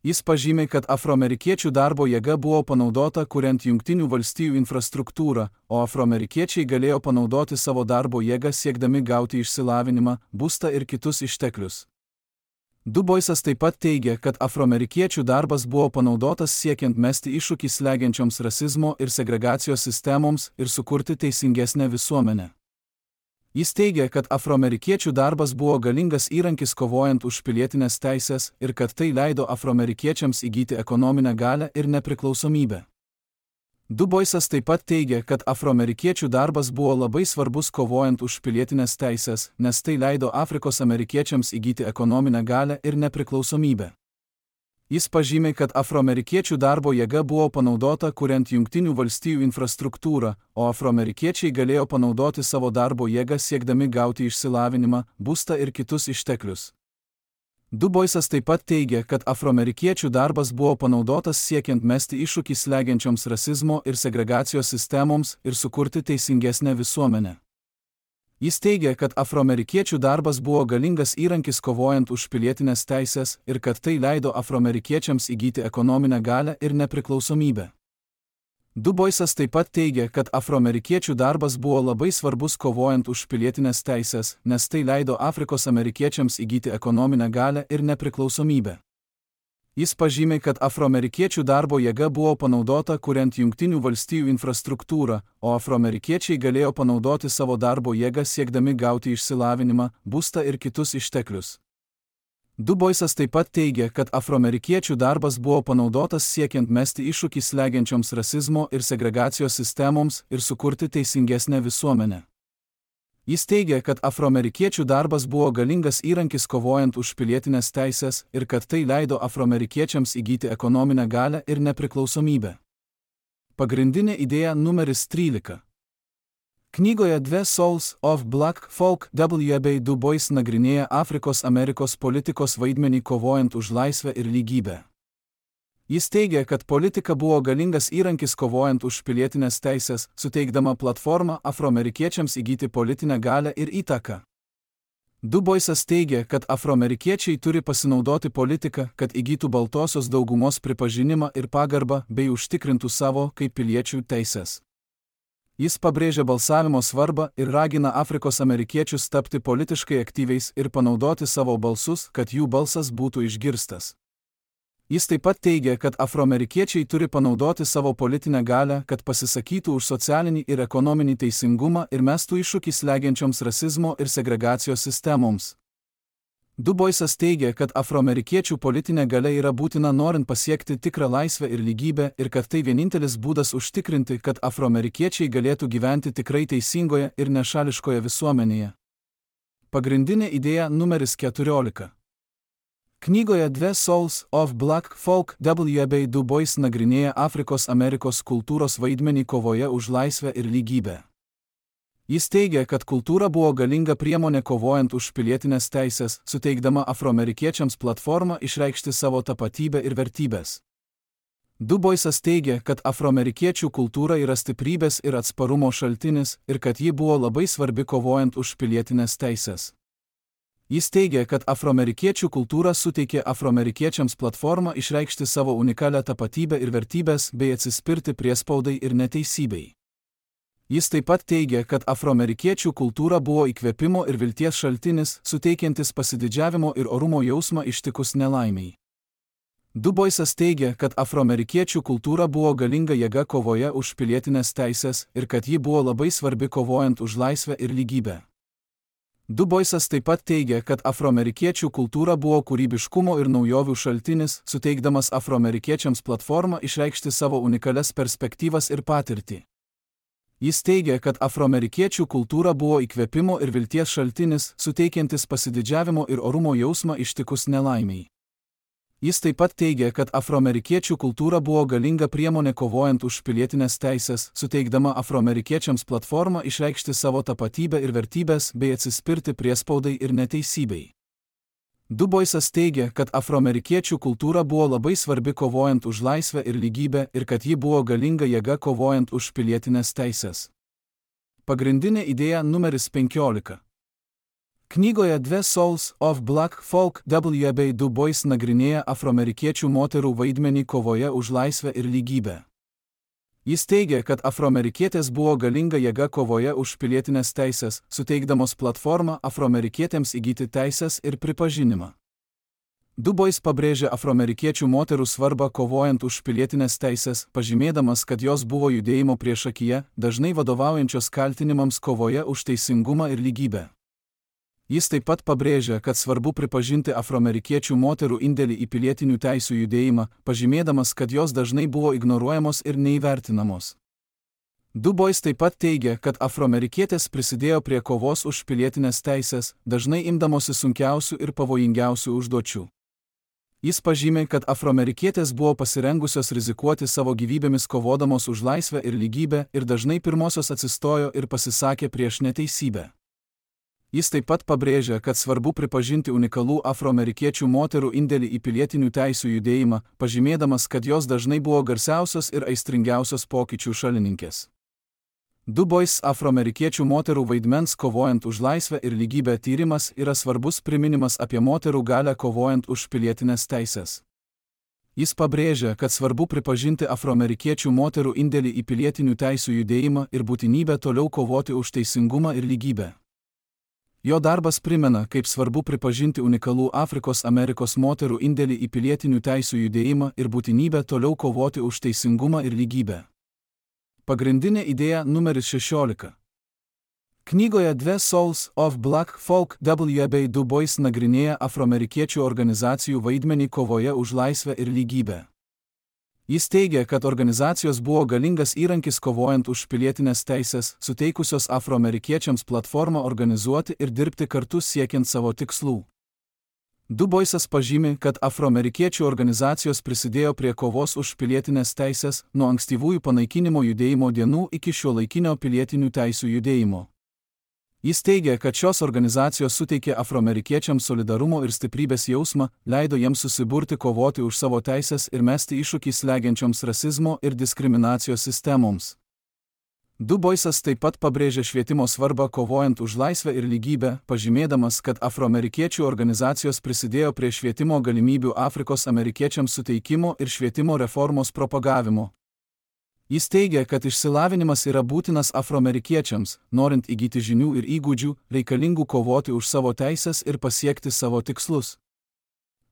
Speaker 1: Jis pažymi, kad afroamerikiečių darbo jėga buvo panaudota kuriant Jungtinių valstijų infrastruktūrą, o afroamerikiečiai galėjo panaudoti savo darbo jėgą siekdami gauti išsilavinimą, būstą ir kitus išteklius. Du Boisas taip pat teigia, kad afroamerikiečių darbas buvo panaudotas siekiant mesti iššūkį slegiančioms rasizmo ir segregacijos sistemoms ir sukurti teisingesnę visuomenę. Jis teigia, kad afroamerikiečių darbas buvo galingas įrankis kovojant už pilietinės teisės ir kad tai leido afroamerikiečiams įgyti ekonominę galią ir nepriklausomybę. Du Boisas taip pat teigia, kad afroamerikiečių darbas buvo labai svarbus kovojant už pilietinės teisės, nes tai leido Afrikos amerikiečiams įgyti ekonominę galią ir nepriklausomybę. Jis pažymi, kad afroamerikiečių darbo jėga buvo panaudota kuriant Jungtinių valstijų infrastruktūrą, o afroamerikiečiai galėjo panaudoti savo darbo jėgą siekdami gauti išsilavinimą, būstą ir kitus išteklius. Du Boisas taip pat teigia, kad afroamerikiečių darbas buvo panaudotas siekiant mesti iššūkį slegiančioms rasizmo ir segregacijos sistemoms ir sukurti teisingesnę visuomenę. Jis teigia, kad afroamerikiečių darbas buvo galingas įrankis kovojant už pilietinės teisės ir kad tai leido afroamerikiečiams įgyti ekonominę galią ir nepriklausomybę. Du Boisas taip pat teigia, kad afroamerikiečių darbas buvo labai svarbus kovojant už pilietinės teisės, nes tai leido Afrikos amerikiečiams įgyti ekonominę galią ir nepriklausomybę. Jis pažymi, kad afroamerikiečių darbo jėga buvo panaudota kuriant Jungtinių valstijų infrastruktūrą, o afroamerikiečiai galėjo panaudoti savo darbo jėgą siekdami gauti išsilavinimą, būstą ir kitus išteklius. Du Boisas taip pat teigia, kad afroamerikiečių darbas buvo panaudotas siekiant mesti iššūkį slegiančioms rasizmo ir segregacijos sistemoms ir sukurti teisingesnę visuomenę. Jis teigia, kad afroamerikiečių darbas buvo galingas įrankis kovojant už pilietinės teisės ir kad tai leido afroamerikiečiams įgyti ekonominę galią ir nepriklausomybę. Pagrindinė idėja numeris 13. Knygoje The Souls of Black Folk W.B. Du Bois nagrinėja Afrikos Amerikos politikos vaidmenį kovojant už laisvę ir lygybę. Jis teigia, kad politika buvo galingas įrankis kovojant už pilietinės teisės, suteikdama platformą afroamerikiečiams įgyti politinę galią ir įtaką. Du Boisas teigia, kad afroamerikiečiai turi pasinaudoti politiką, kad įgytų baltosios daugumos pripažinimą ir pagarbą bei užtikrintų savo kaip piliečių teisės. Jis pabrėžia balsavimo svarbą ir ragina Afrikos amerikiečius tapti politiškai aktyviais ir panaudoti savo balsus, kad jų balsas būtų išgirstas. Jis taip pat teigia, kad afroamerikiečiai turi panaudoti savo politinę galią, kad pasisakytų už socialinį ir ekonominį teisingumą ir mestų iššūkį slegiančioms rasizmo ir segregacijos sistemoms. Du Boisas teigia, kad afroamerikiečių politinė galia yra būtina norint pasiekti tikrą laisvę ir lygybę ir kad tai vienintelis būdas užtikrinti, kad afroamerikiečiai galėtų gyventi tikrai teisingoje ir nešališkoje visuomenėje. Pagrindinė idėja numeris 14. Knygoje The Souls of Black Folk W.B. Du Bois nagrinėja Afrikos Amerikos kultūros vaidmenį kovoje už laisvę ir lygybę. Jis teigia, kad kultūra buvo galinga priemonė kovojant už pilietinės teisės, suteikdama afroamerikiečiams platformą išreikšti savo tapatybę ir vertybės. Du Boisas teigia, kad afroamerikiečių kultūra yra stiprybės ir atsparumo šaltinis ir kad ji buvo labai svarbi kovojant už pilietinės teisės. Jis teigia, kad afroamerikiečių kultūra suteikė afroamerikiečiams platformą išreikšti savo unikalią tapatybę ir vertybės bei atsispirti priespaudai ir neteisybei. Jis taip pat teigia, kad afroamerikiečių kultūra buvo įkvėpimo ir vilties šaltinis, suteikiantis pasididžiavimo ir orumo jausmą ištikus nelaimiai. Du Boisas teigia, kad afroamerikiečių kultūra buvo galinga jėga kovoje už pilietinės teisės ir kad ji buvo labai svarbi kovojant už laisvę ir lygybę. Du Boisas taip pat teigia, kad afroamerikiečių kultūra buvo kūrybiškumo ir naujovių šaltinis, suteikdamas afroamerikiečiams platformą išreikšti savo unikalias perspektyvas ir patirtį. Jis teigia, kad afroamerikiečių kultūra buvo įkvėpimo ir vilties šaltinis, suteikiantis pasididžiavimo ir orumo jausmą ištikus nelaimiai. Jis taip pat teigia, kad afroamerikiečių kultūra buvo galinga priemonė kovojant už pilietinės teisės, suteikdama afroamerikiečiams platformą išreikšti savo tapatybę ir vertybės bei atsispirti priespaudai ir neteisybei. Du Boisas teigia, kad afroamerikiečių kultūra buvo labai svarbi kovojant už laisvę ir lygybę ir kad ji buvo galinga jėga kovojant už pilietinės teisės. Pagrindinė idėja numeris 15. Knygoje The Souls of Black Folk W.B. Du Bois nagrinėja afroamerikiečių moterų vaidmenį kovoje už laisvę ir lygybę. Jis teigia, kad afroamerikietės buvo galinga jėga kovoje už pilietinės teisės, suteikdamos platformą afroamerikietėms įgyti teisės ir pripažinimą. Du Bois pabrėžia afroamerikiečių moterų svarbą kovojant už pilietinės teisės, pažymėdamas, kad jos buvo judėjimo priešakyje, dažnai vadovaujančios kaltinimams kovoje už teisingumą ir lygybę. Jis taip pat pabrėžia, kad svarbu pripažinti afroamerikiečių moterų indėlį į pilietinių teisių judėjimą, pažymėdamas, kad jos dažnai buvo ignoruojamos ir neįvertinamos. Du Bois taip pat teigia, kad afroamerikietės prisidėjo prie kovos už pilietinės teisės, dažnai imdamosi sunkiausių ir pavojingiausių užduočių. Jis pažymė, kad afroamerikietės buvo pasirengusios rizikuoti savo gyvybėmis kovodamos už laisvę ir lygybę ir dažnai pirmosios atsistojo ir pasisakė prieš neteisybę. Jis taip pat pabrėžia, kad svarbu pripažinti unikalų afroamerikiečių moterų indėlį į pilietinių teisių judėjimą, pažymėdamas, kad jos dažnai buvo garsiausios ir aistringiausios pokyčių šalininkės. Du Bois afroamerikiečių moterų vaidmens kovojant už laisvę ir lygybę tyrimas yra svarbus priminimas apie moterų galią kovojant už pilietinės teisės. Jis pabrėžia, kad svarbu pripažinti afroamerikiečių moterų indėlį į pilietinių teisių judėjimą ir būtinybę toliau kovoti už teisingumą ir lygybę. Jo darbas primena, kaip svarbu pripažinti unikalų Afrikos Amerikos moterų indėlį į pilietinių teisių judėjimą ir būtinybę toliau kovoti už teisingumą ir lygybę. Pagrindinė idėja numeris 16. Knygoje The Souls of Black Folk W.B. Du Bois nagrinėja afroamerikiečių organizacijų vaidmenį kovoje už laisvę ir lygybę. Jis teigia, kad organizacijos buvo galingas įrankis kovojant už pilietinės teisės, suteikusios afroamerikiečiams platformą organizuoti ir dirbti kartu siekiant savo tikslų. Du Boisas pažymi, kad afroamerikiečių organizacijos prisidėjo prie kovos už pilietinės teisės nuo ankstyvųjų panaikinimo judėjimo dienų iki šiuolaikinio pilietinių teisių judėjimo. Jis teigia, kad šios organizacijos suteikė afroamerikiečiams solidarumo ir stiprybės jausmą, leido jiems susiburti kovoti už savo teisės ir mesti iššūkį slegiančioms rasizmo ir diskriminacijos sistemoms. Du Boisas taip pat pabrėžė švietimo svarbą kovojant už laisvę ir lygybę, pažymėdamas, kad afroamerikiečių organizacijos prisidėjo prie švietimo galimybių Afrikos amerikiečiams suteikimo ir švietimo reformos propagavimo. Jis teigia, kad išsilavinimas yra būtinas afroamerikiečiams, norint įgyti žinių ir įgūdžių, reikalingų kovoti už savo teisės ir pasiekti savo tikslus.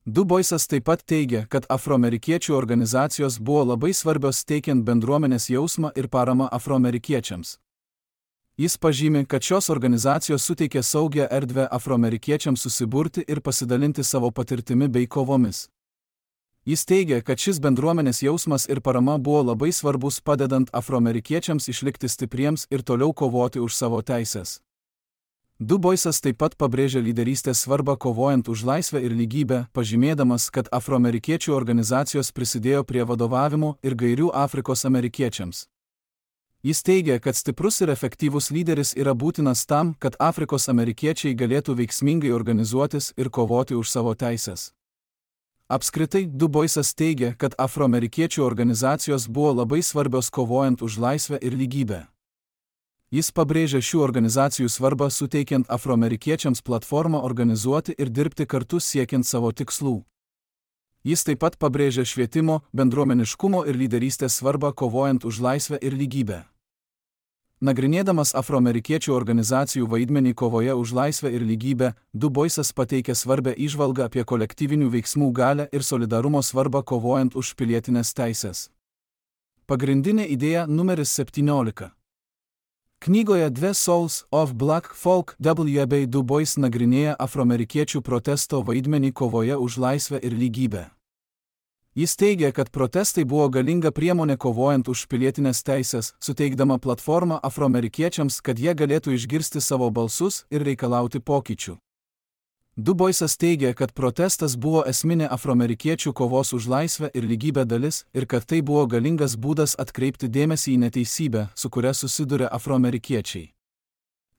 Speaker 1: Du Boisas taip pat teigia, kad afroamerikiečių organizacijos buvo labai svarbios teikiant bendruomenės jausmą ir paramą afroamerikiečiams. Jis pažymi, kad šios organizacijos suteikia saugią erdvę afroamerikiečiams susiburti ir pasidalinti savo patirtimi bei kovomis. Jis teigia, kad šis bendruomenės jausmas ir parama buvo labai svarbus padedant afroamerikiečiams išlikti stipriems ir toliau kovoti už savo teisės. Du Boisas taip pat pabrėžia lyderystės svarbą kovojant už laisvę ir lygybę, pažymėdamas, kad afroamerikiečių organizacijos prisidėjo prie vadovavimo ir gairių Afrikos amerikiečiams. Jis teigia, kad stiprus ir efektyvus lyderis yra būtinas tam, kad Afrikos amerikiečiai galėtų veiksmingai organizuotis ir kovoti už savo teisės. Apskritai, Du Boisas teigia, kad afroamerikiečių organizacijos buvo labai svarbios kovojant už laisvę ir lygybę. Jis pabrėžia šių organizacijų svarbą suteikiant afroamerikiečiams platformą organizuoti ir dirbti kartu siekiant savo tikslų. Jis taip pat pabrėžia švietimo, bendruomeniškumo ir lyderystės svarbą kovojant už laisvę ir lygybę. Nagrinėdamas afroamerikiečių organizacijų vaidmenį kovoje už laisvę ir lygybę, Du Boisas pateikia svarbę įžvalgą apie kolektyvinių veiksmų galią ir solidarumo svarbą kovojant už pilietinės teisės. Pagrindinė idėja numeris 17. Knygoje The Souls of Black Folk W.B. Du Bois nagrinėja afroamerikiečių protesto vaidmenį kovoje už laisvę ir lygybę. Jis teigia, kad protestai buvo galinga priemonė kovojant už pilietinės teisės, suteikdama platformą afroamerikiečiams, kad jie galėtų išgirsti savo balsus ir reikalauti pokyčių. Du Boisas teigia, kad protestas buvo esminė afroamerikiečių kovos už laisvę ir lygybę dalis ir kad tai buvo galingas būdas atkreipti dėmesį į neteisybę, su kuria susiduria afroamerikiečiai.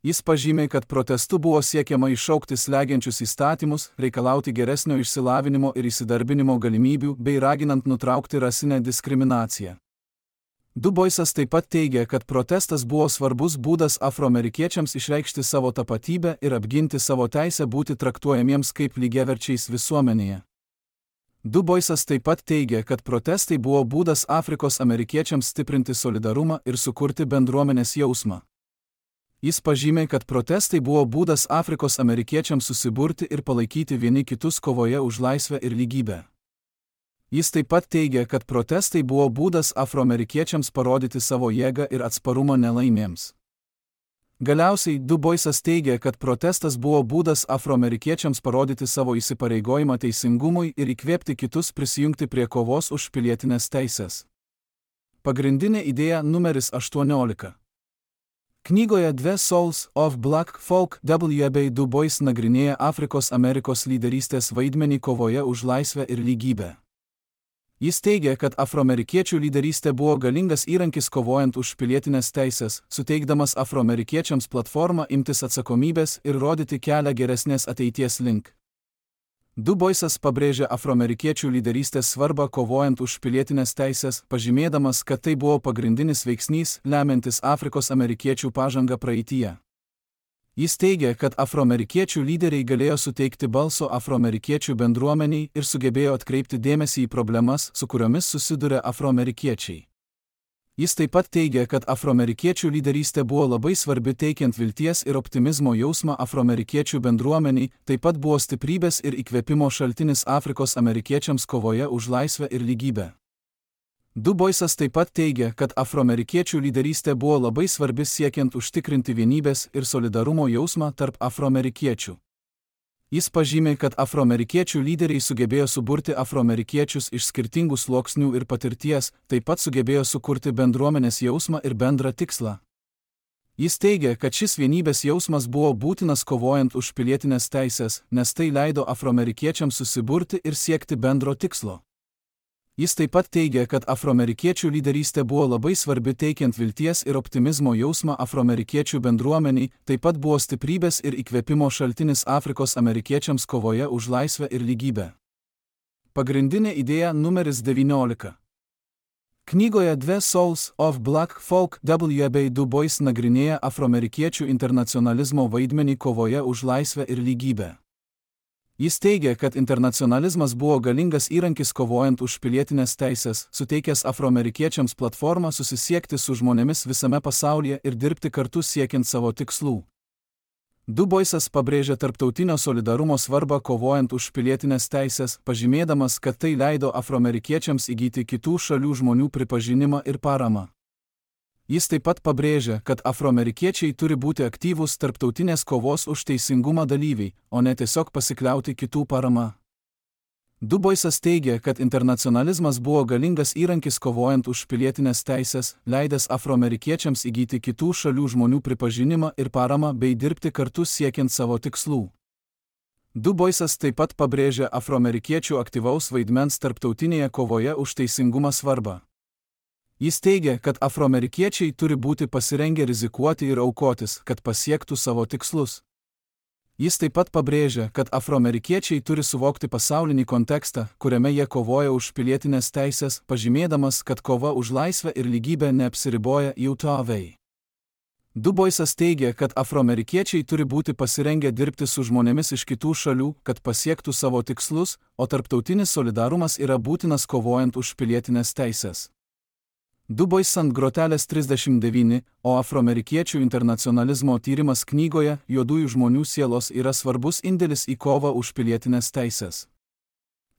Speaker 1: Jis pažymė, kad protestu buvo siekiama iššaukti slegiančius įstatymus, reikalauti geresnio išsilavinimo ir įsidarbinimo galimybių bei raginant nutraukti rasinę diskriminaciją. Du Boisas taip pat teigia, kad protestas buvo svarbus būdas afroamerikiečiams išreikšti savo tapatybę ir apginti savo teisę būti traktuojamiems kaip lygiaverčiais visuomenėje. Du Boisas taip pat teigia, kad protestai buvo būdas Afrikos amerikiečiams stiprinti solidarumą ir sukurti bendruomenės jausmą. Jis pažymė, kad protestai buvo būdas Afrikos amerikiečiams susiburti ir palaikyti vieni kitus kovoje už laisvę ir lygybę. Jis taip pat teigia, kad protestai buvo būdas afroamerikiečiams parodyti savo jėgą ir atsparumą nelaimėms. Galiausiai, Du Boisas teigia, kad protestas buvo būdas afroamerikiečiams parodyti savo įsipareigojimą teisingumui ir įkvėpti kitus prisijungti prie kovos už pilietinės teisės. Pagrindinė idėja numeris 18. Knygoje The Souls of Black Folk W.B. Du Bois nagrinėja Afrikos Amerikos lyderystės vaidmenį kovoje už laisvę ir lygybę. Jis teigia, kad afroamerikiečių lyderystė buvo galingas įrankis kovojant už pilietinės teisės, suteikdamas afroamerikiečiams platformą imtis atsakomybės ir rodyti kelią geresnės ateities link. Du Boisas pabrėžia afroamerikiečių lyderystės svarbą kovojant už pilietinės teisės, pažymėdamas, kad tai buvo pagrindinis veiksnys, lemiantis Afrikos amerikiečių pažangą praeityje. Jis teigia, kad afroamerikiečių lyderiai galėjo suteikti balso afroamerikiečių bendruomeniai ir sugebėjo atkreipti dėmesį į problemas, su kuriomis susiduria afroamerikiečiai. Jis taip pat teigia, kad afroamerikiečių lyderystė buvo labai svarbi teikiant vilties ir optimizmo jausmą afroamerikiečių bendruomeniai, taip pat buvo stiprybės ir įkvėpimo šaltinis Afrikos amerikiečiams kovoje už laisvę ir lygybę. Du Boisas taip pat teigia, kad afroamerikiečių lyderystė buvo labai svarbi siekiant užtikrinti vienybės ir solidarumo jausmą tarp afroamerikiečių. Jis pažymė, kad afroamerikiečių lyderiai sugebėjo suburti afroamerikiečius iš skirtingų sluoksnių ir patirties, taip pat sugebėjo sukurti bendruomenės jausmą ir bendrą tikslą. Jis teigia, kad šis vienybės jausmas buvo būtinas kovojant už pilietinės teisės, nes tai leido afroamerikiečiams susiburti ir siekti bendro tikslo. Jis taip pat teigia, kad afroamerikiečių lyderystė buvo labai svarbi teikiant vilties ir optimizmo jausmą afroamerikiečių bendruomeniai, taip pat buvo stiprybės ir įkvėpimo šaltinis Afrikos amerikiečiams kovoje už laisvę ir lygybę. Pagrindinė idėja numeris 19. Knygoje The Souls of Black Folk W.B. Du Bois nagrinėja afroamerikiečių internacionalizmo vaidmenį kovoje už laisvę ir lygybę. Jis teigia, kad internacionalizmas buvo galingas įrankis kovojant už pilietinės teisės, suteikęs afroamerikiečiams platformą susisiekti su žmonėmis visame pasaulyje ir dirbti kartu siekiant savo tikslų. Du Boisas pabrėžia tarptautinio solidarumo svarbą kovojant už pilietinės teisės, pažymėdamas, kad tai leido afroamerikiečiams įgyti kitų šalių žmonių pripažinimą ir paramą. Jis taip pat pabrėžia, kad afroamerikiečiai turi būti aktyvūs tarptautinės kovos už teisingumą dalyviai, o ne tiesiog pasikliauti kitų parama. Du Boisas teigia, kad internacionalizmas buvo galingas įrankis kovojant už pilietinės teisės, leidęs afroamerikiečiams įgyti kitų šalių žmonių pripažinimą ir paramą bei dirbti kartu siekiant savo tikslų. Du Boisas taip pat pabrėžia afroamerikiečių aktyvaus vaidmens tarptautinėje kovoje už teisingumą svarbą. Jis teigia, kad afroamerikiečiai turi būti pasirengę rizikuoti ir aukotis, kad pasiektų savo tikslus. Jis taip pat pabrėžia, kad afroamerikiečiai turi suvokti pasaulinį kontekstą, kuriame jie kovoja už pilietinės teisės, pažymėdamas, kad kova už laisvę ir lygybę neapsiriboja JAV. Du Boisas teigia, kad afroamerikiečiai turi būti pasirengę dirbti su žmonėmis iš kitų šalių, kad pasiektų savo tikslus, o tarptautinis solidarumas yra būtinas kovojant už pilietinės teisės. Du Boisas ant grotelės 39, o afroamerikiečių internacionalizmo tyrimas knygoje Juodųjų žmonių sielos yra svarbus indėlis į kovą už pilietinės teisės.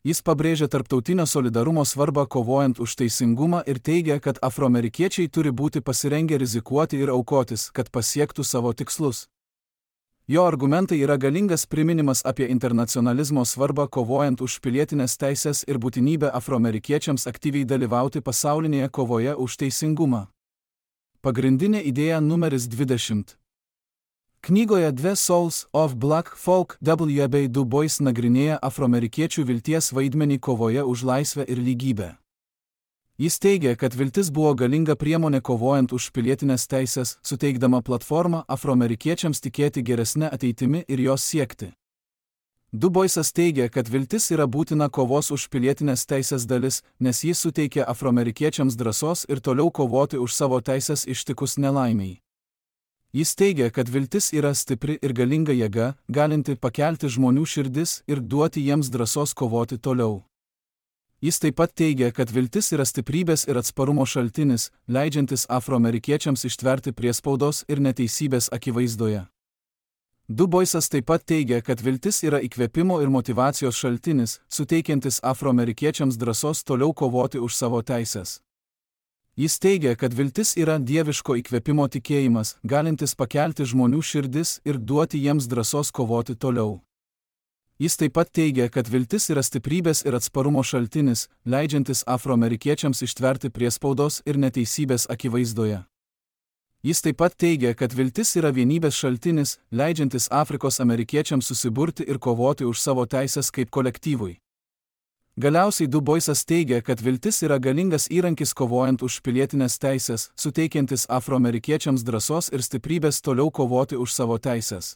Speaker 1: Jis pabrėžia tarptautinio solidarumo svarbą kovojant už teisingumą ir teigia, kad afroamerikiečiai turi būti pasirengę rizikuoti ir aukotis, kad pasiektų savo tikslus. Jo argumentai yra galingas priminimas apie internacionalizmo svarbą kovojant už pilietinės teisės ir būtinybę afroamerikiečiams aktyviai dalyvauti pasaulinėje kovoje už teisingumą. Pagrindinė idėja numeris 20. Knygoje The Souls of Black Folk W.B. Du Bois nagrinėja afroamerikiečių vilties vaidmenį kovoje už laisvę ir lygybę. Jis teigia, kad viltis buvo galinga priemonė kovojant už pilietinės teisės, suteikdama platformą afroamerikiečiams tikėti geresnę ateitimi ir jos siekti. Du Boisas teigia, kad viltis yra būtina kovos už pilietinės teisės dalis, nes jis suteikia afroamerikiečiams drąsos ir toliau kovoti už savo teisės ištikus nelaimiai. Jis teigia, kad viltis yra stipri ir galinga jėga, galinti pakelti žmonių širdis ir duoti jiems drąsos kovoti toliau. Jis taip pat teigia, kad viltis yra stiprybės ir atsparumo šaltinis, leidžiantis afroamerikiečiams ištverti priespaudos ir neteisybės akivaizdoje. Du Boisas taip pat teigia, kad viltis yra įkvėpimo ir motyvacijos šaltinis, suteikiantis afroamerikiečiams drąsos toliau kovoti už savo teisės. Jis teigia, kad viltis yra dieviško įkvėpimo tikėjimas, galintis pakelti žmonių širdis ir duoti jiems drąsos kovoti toliau. Jis taip pat teigia, kad viltis yra stiprybės ir atsparumo šaltinis, leidžiantis afroamerikiečiams ištverti priespaudos ir neteisybės akivaizdoje. Jis taip pat teigia, kad viltis yra vienybės šaltinis, leidžiantis Afrikos amerikiečiams susiburti ir kovoti už savo teisės kaip kolektyvui. Galiausiai Du Boisas teigia, kad viltis yra galingas įrankis kovojant už pilietinės teisės, suteikiantis afroamerikiečiams drąsos ir stiprybės toliau kovoti už savo teisės.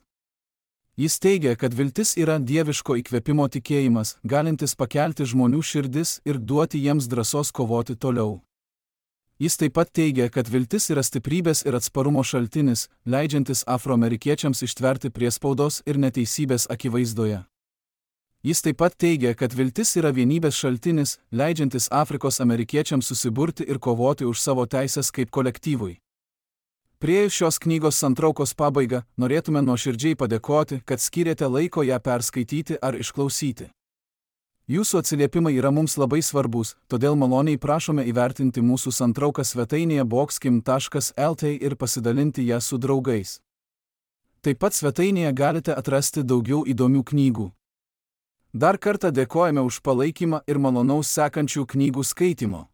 Speaker 1: Jis teigia, kad viltis yra dieviško įkvėpimo tikėjimas, galintis pakelti žmonių širdis ir duoti jiems drąsos kovoti toliau. Jis taip pat teigia, kad viltis yra stiprybės ir atsparumo šaltinis, leidžiantis afroamerikiečiams ištverti priespaudos ir neteisybės akivaizdoje. Jis taip pat teigia, kad viltis yra vienybės šaltinis, leidžiantis Afrikos amerikiečiams susiburti ir kovoti už savo teisės kaip kolektyvui. Priėjus šios knygos santraukos pabaigą, norėtume nuoširdžiai padėkoti, kad skyrėte laiko ją perskaityti ar išklausyti. Jūsų atsiliepimai yra mums labai svarbus, todėl maloniai prašome įvertinti mūsų santrauką svetainėje boxkim.lt ir pasidalinti ją su draugais. Taip pat svetainėje galite atrasti daugiau įdomių knygų. Dar kartą dėkojame už palaikymą ir malonaus sekančių knygų skaitimo.